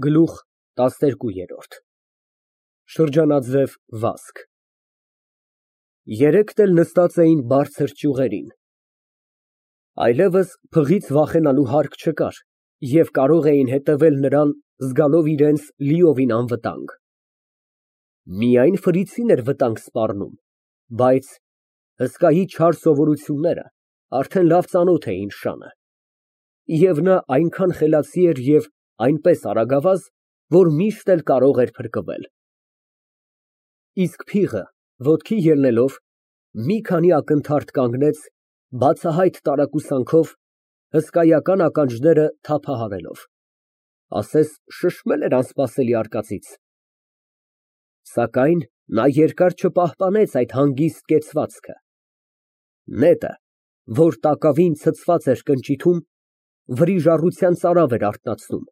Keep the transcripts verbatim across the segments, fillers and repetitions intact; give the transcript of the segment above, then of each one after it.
Գլուխ տասներկու։ Շրջանաձև վազք Երեքն էլ նստած էին բարձր ճյուղերին, այլևս փղից վախենալու հարկ չկար և կարող էին հետևել նրան, զգալով իրենց լիովին անվտանգ։ Միայն Ֆրիցին էր վտանգ սպառնում, բայց հսկայի չար սովորությունները արդեն լավ ծանոթ էին շանը, և նա այնքան խելացի էր և այնպես արագավազ, որ միշտ էլ կարող էր փրկվել։ Իսկ փիղը, ոտքի ելնելով, մի քանի ակնթարթ կանգնեց, բացահայտ տարակուսանքով, հսկայական ականջները թափահարելով, ասես շշմել էր անսպասելի արկածից։ Սակայն նա երկար չպահպանեց այդ հանգիստ կեցվածքը։ Նետը, որ տակավին ցցված էր կնճիթում, վրիժառության ծարավ էր արթնացնում։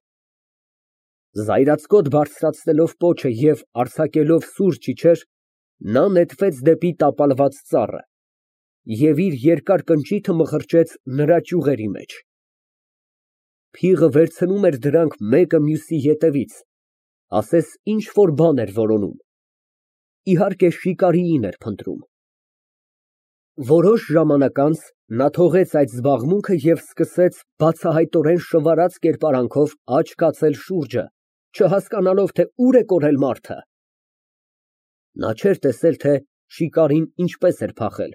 Զայրացկոտ բարձրացնելով պոչը և արձակելով սուր ճիչեր, նա նետվեց դեպի տապալված ծառը և իր երկար կնճիթը մխրճեց նրա ճյուղերի մեջ։ Փիղը վերցնում էր դրանք մեկը մյուսի ետևից, ասես ինչ֊որ բան էր որոնում, իհարկե շիկարիին էր փնտրում։ Որոշ ժամանակ անց նա թողեց այդ զբաղմունքը և սկսեց բացահայտորեն շվարած կերպարանքով աջ կացել շուրջը, չհասկանալով, թե ուր է կորել մարդը։ Նա չէր տեսել, թե շիկարին ինչպես էր փախել,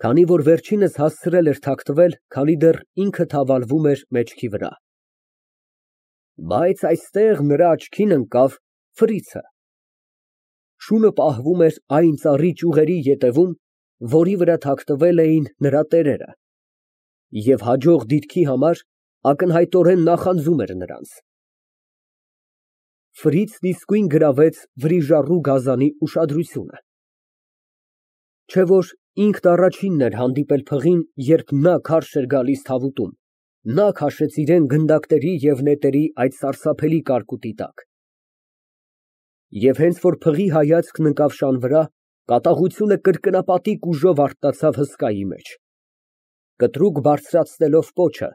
քանի որ վերջինս հասցրել էր թաքնվել, քանի դեռ ինքը թավալվում էր մեջքի վրա։ Բայց այստեղ նրա աչքին ընկավ Ֆրիցը։ Շունը պահվում էր այն ծառի ճյուղերի ետևում, որի վրա թաքնվել էին նրա տերերը, և հաջող դիրքի համար ակնհայտորեն նախանձում էր նրանց։ Ֆրիցն իսկույն գրավեց վրիժառու գազանի ուշադրությունը։ Չէ՞ որ ինքն առաջինն էր հանդիպել փղին, երբ նա քարշ էր գալիս թավուտում, նա քաշեց իրան գնդակների և նետերի այդ սարսափելի կարկուտի տակ։ Եվ հենց որ փղի հայացքն ընկավ շան վրա, կատաղությունը կրկնապատիկ ուժով արթնացավ հսկայի մեջ։ Կտրուկ բարձրացնելով պոչը,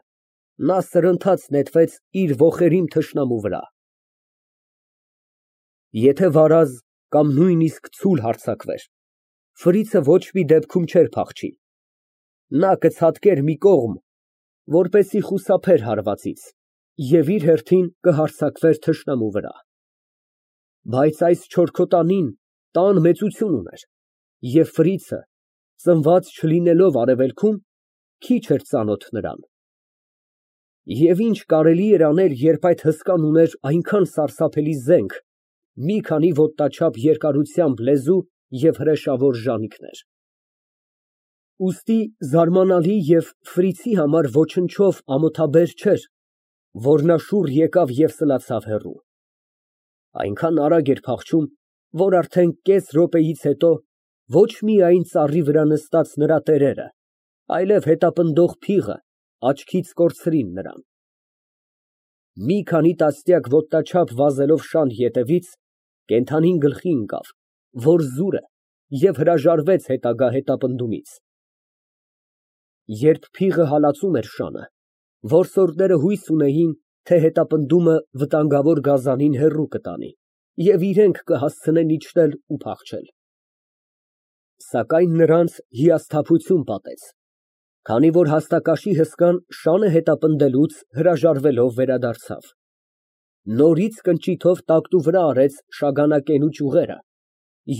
նա սրընթաց նետվեց իր ոխերիմ թշնամու վրա։ Եթե վարազ կամ նույնիսկ ցուլ հարձակվեր, Ֆրիցը ոչ մի դեպքում չէր փախչի։ Նա կցատկեր մի կողմ, որպեսզի խուսափեր հարվածից, և իր հերթին կհարձակվեր թշնամու վրա։ Բայց այս չորքոտանին տան մեծություն ուներ, և Ֆրիցը, ծնված չլինելով արևելքում, քիչ էր ծանոթ նրան։ Եվ ինչ կարելի էր անել, երբ այդ հսկան ուներ այնքան սարսափելի զենք, մի քանի ոտնաչափ երկարությամբ լեզու և հրեշավոր ժանիքներ։ Ուստի զարմանալի և Ֆրիցի համար ոչնչով ամոթաբեր չէր, որ նա շուռ եկավ և սլացավ հեռու։ Այնքան արագ էր փախչում, որ արդեն կես րոպեից հետո ոչ միայն ծառի վրա նստած նրա տերերը, այլև հետապնդող փիղը աչքից կորցրին նրան։ Մի քանի տասնյակ ոտնաչափ վազելով շան ետևից, կենդանին գլխի ընկավ, որ զուր է, և հրաժարվեց հետագա հետապնդումից։ Երբ փիղը հալածում էր շանը, որսորդները հույս ունեին, թե հետապնդումը վտանգավոր գազանին հեռու կտանի, և իրենք կհասցնեն իջնել ու փախչել։ Սակայն նրանց հիասթափություն պատեց, քանի որ հաստակաշի հսկան շանը հետապնդելուց հրաժարվելով վերադարձավ։ Նորից կնճիթով տակտու վրա արեց շագանակենու ճյուղերը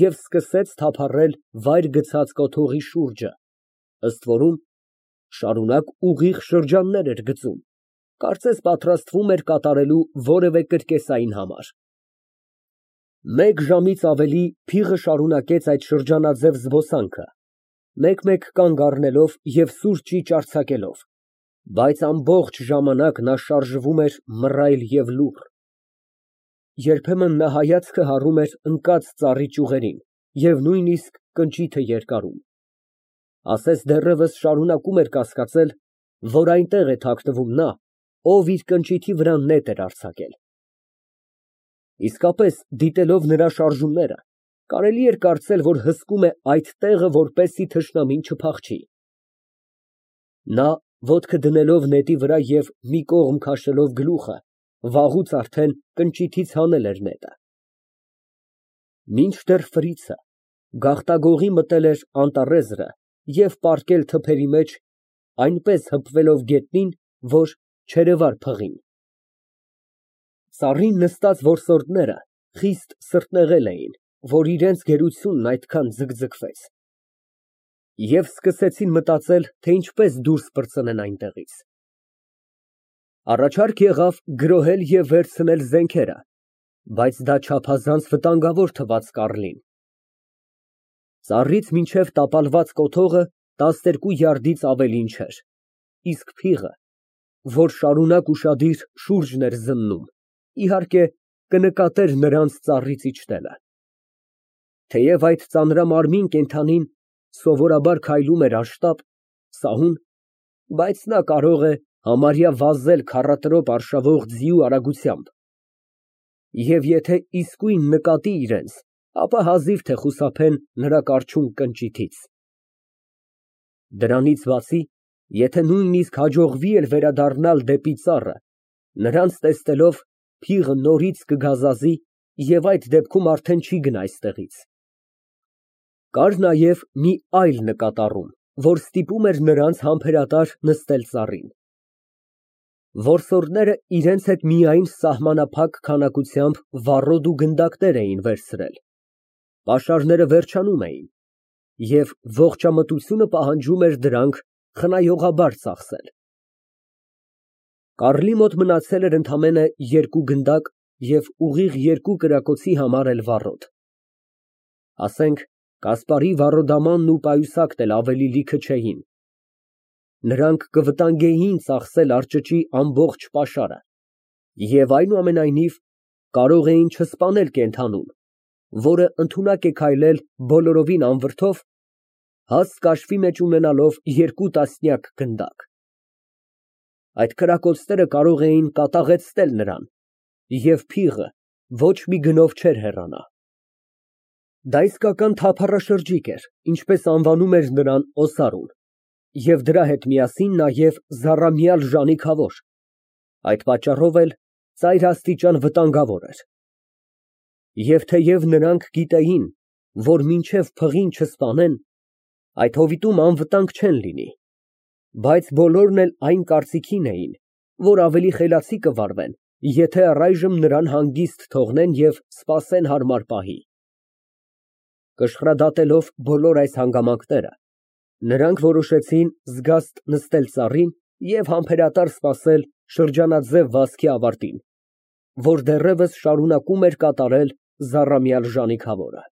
և սկսեց թափառել վայր գցած կոթողի շուրջը, ըստ որում շարունակ ուղիղ շրջաններ էր գծում, կարծես պատրաստվում էր կատարելու որևէ կրկեսային համար։ Մեկ ժամից ավելի փիղը շարունակեց այդ շրջանաձև զբոսանքը, մեկ֊մեկ կանգ առնելով և սուր ճիչ արձակելով, բայց ամբողջ ժամանակ նա շարժվում էր մռայլ և լուռ։ Երբեմն նա հայացքը հառում էր ընկած ծառի ճյուղերին և նույնիսկ կնճիթը երկարում, ասես դեռևս շարունակում էր կասկածել, որ այնտեղ է թաքնվում նա, ով իր կնճիթի վրա նետ էր արձակել։ Իսկապես, դիտելով նրա շարժումները, կարելի էր կարծել, որ հսկում է այդ տեղը, որպեսզի թշնամին չփախչի։ Նա, ոտքը դնելով նետի վրա և մի կողմ քաշելով գլուխը, վաղուց արդեն կնճիթից հանել էր նետը։ Մինչդեռ Ֆրիցը գաղտագողի մտել էր անտառեզրը և պառկել թփերի մեջ, այնպես հպվելով գետնին, որ չերևար փղին։ Ծառին նստած որսորդները խիստ սրտնեղել էին, որ իրանց գերությունն այդքան ձգձգվեց, և սկսեցին մտածել, թե ինչպես դուրս պրծնեն այնտեղից։ Առաջարկ եղավ գրոհել և վերցնել զենքերը, բայց դա չափազանց վտանգավոր թվաց Կառլին։ Ծառից մինչև տապալված կոթողը տասներկու յարդից ավելին չէր, իսկ փիղը, որ շարունակ ուշադիր շուրջն էր զննում, իհարկե, կնկատեր նրանց ծառից իջնելը։ Թեև այդ ծանրամարմին կենդանին սովորաբար քայլում էր անշտապ, սահուն, բայց նա կարող է համարյա վազել քառատրոպ արշավող ձիու արագությամբ, և եթե իսկույն նկատի իրենց, ապա հազիվ թե խուսափեն նրա կարչուն կնճիթից։ Դրանից բացի, եթե նույնիսկ հաջողվի էլ վերադառնալ դեպի ծառը, նրանց տեսնելով, փիղը նորից կգազազի և այդ դեպքում արդեն չի գնա այստեղից։ Կար նաև մի այլ նկատառում, որ ստիպում էր նրանց համբերատար նստել ծառին։ Որսորդները իրենց հետ միայն սահմանափակ քանակությամբ վառոդ ու գնդակներ էին վերցրել, պաշարները վերջանում էին, և ողջամտությունը պահանջում էր դրանք խնայողաբար ծախսել։ Կառլի մոտ մնացել էր ընդամենը երկու գնդակ և ուղիղ երկու կրակոցի համար էլ վառոդ։ Ասենք Կասպարի վառոդամանն ու պայուսակն էլ ավելի լիքը չէին։ Նրանք կվտանգեին ծախսել արճճի ամբողջ պաշարը և, այնուամենայնիվ, կարող էին չսպանել կենդանուն, որը ընդունակ է քայլել բոլորովին անվրդով, հաստ կաշվի մեջ ունենալով երկու տասնյակ գնդակ։ Այդ կրակոցները կարող էին կատաղեցնել նրան, և փիղը ոչ մի գնով չէր հեռանա։ Դա իսկական թափառաշրջիկ էր, ինչպես անվանում էր նրան Օսարուն, և դրա հետ միասին նաև զառամյալ ժանիքավոր, այդ պատճառով էլ ծայրաստիճան վտանգավոր էր։ Եվ թեև նրանք գիտեին, որ մինչև փղին չսպանեն, այդ հովիտում անվտանգ չեն լինի, բայց բոլորն էլ այն կարծիքին էին, որ ավելի խելացի կվարվեն, եթե առայժմ նրան հանգիստ թողնեն և սպասեն հարմար պահի։ Կշռադատելով բոլոր այս հանգամանքները, նրանք որոշեցին զգաստ նստել ծառին և համբերատար սպասել շրջանաձև վազքի ավարտին, որ դեռևս շարունակում էր կատարել զառամյալ ժանիքավորը։